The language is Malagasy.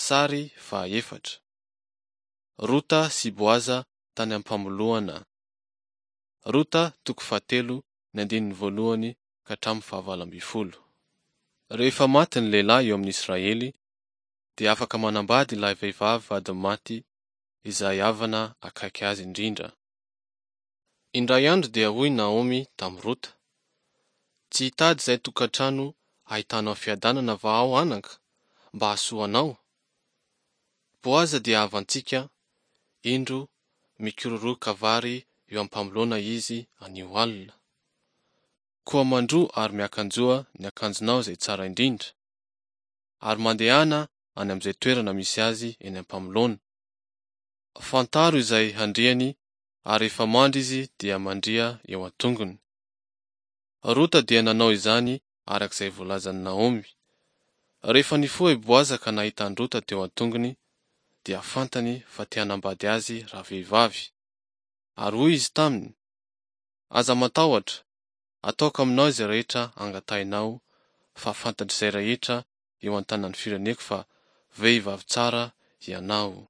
Sary fahaefatra. Rota sy Boaza tany am-pamoloana. Rota toko fahatelo ny andininy voalohany ka hatramin'ny fahavalo ambin'ny folo. Rehefa maty ny lehilahy eo amin'ny Israely, dia afaka manambady ilay vehivavy vadiny maty izay havana akaiky azy indrindra. Indray andro dia hoy Naomy tamin'i Rota, Tsy hitady izay tokantrano ahitanao fiadanana va aho anaka, mba hahasoa anao? Boaza dia havantsika, indro mikororoka vary eo am-pamoloana izy anio alina. Koa mandroa ary miakanjoa ny akanjonao izay tsara indrindra, ary mandehana any amin'izay toerana misy azy eny am-pamoloana. Fantaro izay handriany ary rehefa mandry izy dia mandria eo an-tongony. Rota dia nanao izany araka izay voalazan'i Naomy. Rehefa nifoha i Boaza ka nahita an'i Rota teo an-tongony, dia fantany fa te hanambady azy ravehivavy. Ary hoy izy taminy, Aza matahotra, ataoko aminao izay rehetra angatahinao, fa fantatr'izay rehetra eo an-tanan'ny fireneko fa vehivavy tsara ianao.